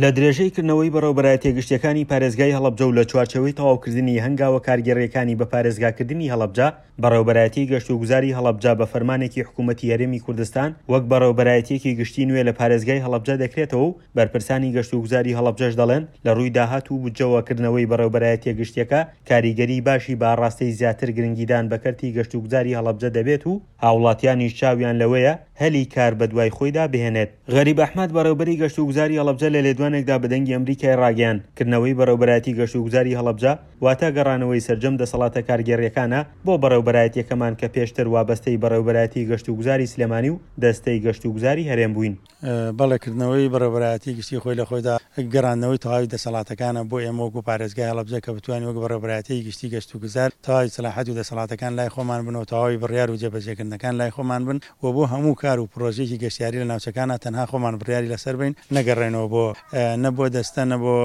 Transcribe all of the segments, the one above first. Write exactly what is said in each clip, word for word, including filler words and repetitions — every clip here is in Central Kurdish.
لە درێژەی کردنەوەی بەڕێوەبەرایەتیە گشتیەکانی پارێزگای هەڵەبجە و لە چوارچێوەی تەواوکردنی هەنگاوە کارگێڕیەکانی بە پارێزگاکردنی هەڵەبجە، بەڕێوەبەرایەتی گەشتوگوزاری هەڵەبجە بە فەرمانێکی حکوومەتی هەرێمی کوردستان وەک بەڕێوەبەرایەتیەکی گشتی نوێ لە پارێزگای هەڵەبجە دەکرێتەوە و بەرپرسانی گەشتوگوزاری هەڵەبجەش دەڵێن لە ڕووی داهات و بودجەوە کردنەوەی بەڕێوەبەرایەتیە گشتیەکە کاریگەری باشی بە ئاڕاستەی زیاتر گرنگیدان بە کەرتی گەشتوگوزاری هەڵەبجە دەبێت و هاوڵاتیانیش چاویان لەوەیە هەلی کار بەدوای خۆیدا بهێنێت. غەریب ئەحمەد بەڕێوبەری گەشتوگوزاری هەڵەبجە لە لێدوانێکدا بە دەنگی ئەمریکای ڕاگەیاند، کردنەوەی بەڕێوبەرایەتی گەشتوگوزاری هەڵەبجە واتە گەڕانەوەی سەرجەم دەسەڵاتە کارگێڕیەکانە بۆ بەڕێوبەرایەتیەکەمان کە پێشتر وابەستەی بەڕێوبەرایەتی گەشتوگوزاری سلێمانی و دەستەی گەشتوگوزاری هەرێم بووین. بەڵێ، کردنەوەی بەڕێوبەرایەتی گشتی خۆی لە خۆیدا گەڕاندنەوەی تەواوی دەسەڵاتەکانە بۆ ئێمە وەکو پارێزگای هەڵەبجە کە بتوانین وەک بەڕێوبەرایەتیی گشتی گەشتوگوزار تەواوی سەلاحەت و دەسەڵاتەکان لای خۆمان بن و تەواوی بڕیار و جێبەجێکردنەکان لای خۆمان بن و بۆ هەموو کار و پرۆژەیەکی گەشتیاری لە ناوچەکانا تەنها خۆمان بڕیاری لەسەر بین نەگەڕێنەوە بۆ نە بۆ دەستە نە بۆ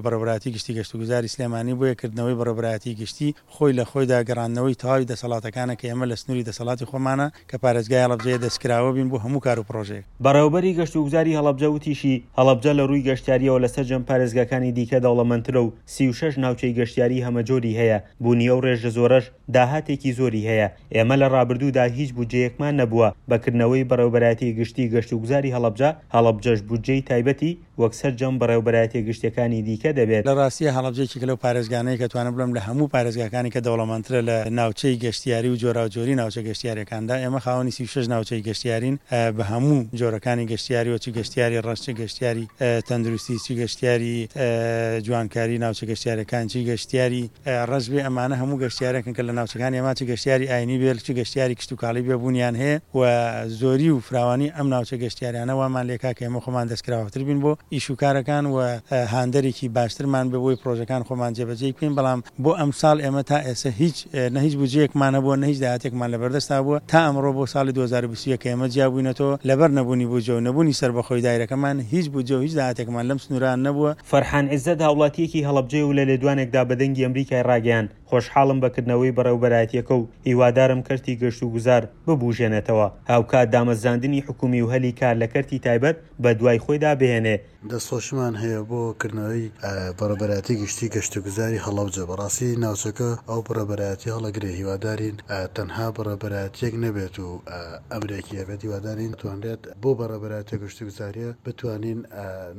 بەڕێوبەرایەتی گشتی گەشتوگوزاری سلێمانی. بۆیە کردنەوەی بەڕێوبەرایەتی گشتی خۆی لە خۆیدا گەڕاندنەوەی تەواوی دەسەڵاتەکانە کە ئێمە لە سنووری دەسەڵاتی خۆمانە کە پارێزگای هەڵەبجەیە دەستکراوە بین بۆ هەموو کار و پرۆژەیەک. بەڕێوەبەری گەشتوگوزاری هەڵەبجە وتیشی، هەڵەبجە لە ڕووی گەشتیارییەوە لە سەرجەم پارێزگاکانی دیکە دەوڵەمەندترە و سی و شەش ناوچەی گەشتیاری هەمەجۆری هەیە، بوونی ئەو ڕێژە زۆرەش داهاتێکی زۆری هەیە، ئێمە لە ڕابردوودا هیچ بودجەیەکمان نەبووە، بە کردنەوەی بەڕێوەبەرایەتی گشتی گەشتوگوزاری هەڵەبجە، هەڵەبجەش بودجەی تایبەتی وەک سەرجەم بەڕێوەبەرایەتیە گشتیەکانی دیکە دەبێت. لە ڕاستییا هەڵەبجە یەکێکە لەو پارێزگانەیە کە توانم بڵێم لە هەموو پارێزگاکانی کە دەوڵەمەندترە لە ناوچەی گەشتیاری و جۆراوجۆری ناوچە گەشتیاریەکاندا. ئێمە خاوەنی سی و شەش ناوچەی گەشتیارین بە هەموو جۆرەکانی گەشتیاریەوە، چ گەشتیاری ڕەش، چ گەشتیاری تەندروستی، چ گەشتیاری جوانکاری ناوچە گەشتیارەکان، چ گەشتیاری ڕەش بێ، ئەمانە هەموو گەشتیارێکن کە لە ناوچەکانی ئێمە چ گەشتیاری ئاینی بێ چ گەشتیاری کشتوکاڵی بێ بوونیان هەیە و زۆری و فراوانی ئەم ناوچە گەشتیاریانە وامان لێکا کە ئێمە خۆمان دەستکراوەتر بین بۆ ئیش و کارەکان و هاندەرێکی باشترمان بێ بۆی پرۆژەکان خۆمان جێبەجێ بکەین. بەڵام بۆ ئەمساڵ ئێمە تا ئێستا هیچ نە هیچ بودجەیەکمان هەبووە نە هیچ داهاتێکمان لەبەردەستا بووە تا ئەمڕۆ بۆ ساڵی دوو هەزار و بیست و یەک کە ئێمە جیابووینەتەوە لەبەر نەبوونی بودجە و نەبوونی سەربەخۆی دایرەکەمان هیچ بودجە و هیچ داهاتێکمان لەم سنووران نەبووە. فەرحان عیزەت هاوڵاتییەکی هەڵەبجەیە و لە لێدوانێکدا بە دەنگی ئەمریکای ڕاگەیاند، خۆشحاڵم بە کردنەوەی بەڕێوەبەرایەتییەکە و هیوادارم کەرتی گەشتوگوزار ببوژێنێتەوە، هاوکات دامەزراندنی حکومی و هەلی کار لە کەرتی تایبەت بەدوای خۆیدا بهێنێ. دەستخۆشیمان هەیە بۆ کردنەوەی بەڕێوەبەرایەتی گشتی گەشتوگوزاری هەڵەبجە. بەڕاستی ناوچەکە ئەو بەڕێوەبەرایەتی هەڵەگرێ، هیوادارین تەنها بەڕێوەبەرایەتیەک نەبێت و ئەمرێکی هەبێت، هیوادارین توانرێت بۆ بەڕێوەبەرایەتی گەشتوگوزاریە بتوانین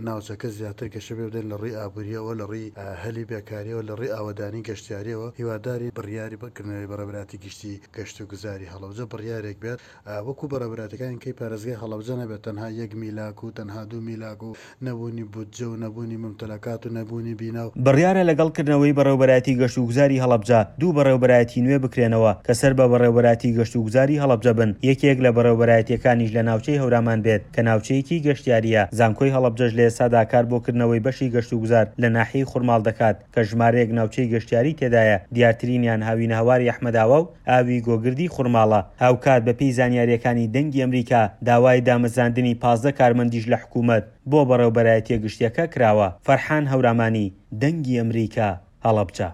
ناوچەکە زیاتر گەشە پێ بدەین لە ڕووی ئابووریەوە، لە ڕووی هەلی بێکاریەوە، لە ڕووی ئاوەدانی گەشتیاریەوە. هیوادارین بڕیاری کردنەوەی بەڕێوەبەرایەتی گشتی گەشتوگوزاری هەڵەبجە بڕیارێک بێت وەکو بەڕێوەبەرایەتەکانی کەی پارێزگای هەڵەبجە نەبێت، تەنها یەک میلاک و تەنها دوو میلاک و نەبوونی بودجە و نەبوونی ممتەلەکات و نەبوونی بینا. بڕیارە لەگەڵ کردنەوەی بەڕێوەبەرایەتی گەشتوگوزاری هەڵەبجە دوو بەڕێوەبەرایەتی نوێ بکرێنەوە کە سەر بە بەڕێوەبەرایەتی گەشتوگوزاری هەڵەبجە بن، یەکێک لە بەڕێوەبەرایەتیەکانیش لە ناوچەی هەورامان بێت کە ناوچەیەکی گەشتیاریە. زانکۆی هەڵەبجەش لە ئێستادا کار بۆ کردنەوەی بەشی گەشتوگوزار لە ناحیەی خورماڵ دەکات کە ژمارەیەک ناوچەی گەشتیاری تێدایە، دیارترینیان هاوینەهەواری ئەحمەداوا و ئاوی گۆگردی خورماڵە. هاوکات بەپێی زانیاریەکانی دەنگی ئەمریکا داوای دامەزراندنی پازدە کارمەندیش لە حکوومەت بۆ بەڕێوەبەرایەتیە گشتیەکە کراوە. فەرحان هەورامانی، دەنگی ئەمریکا، هەڵەبجە.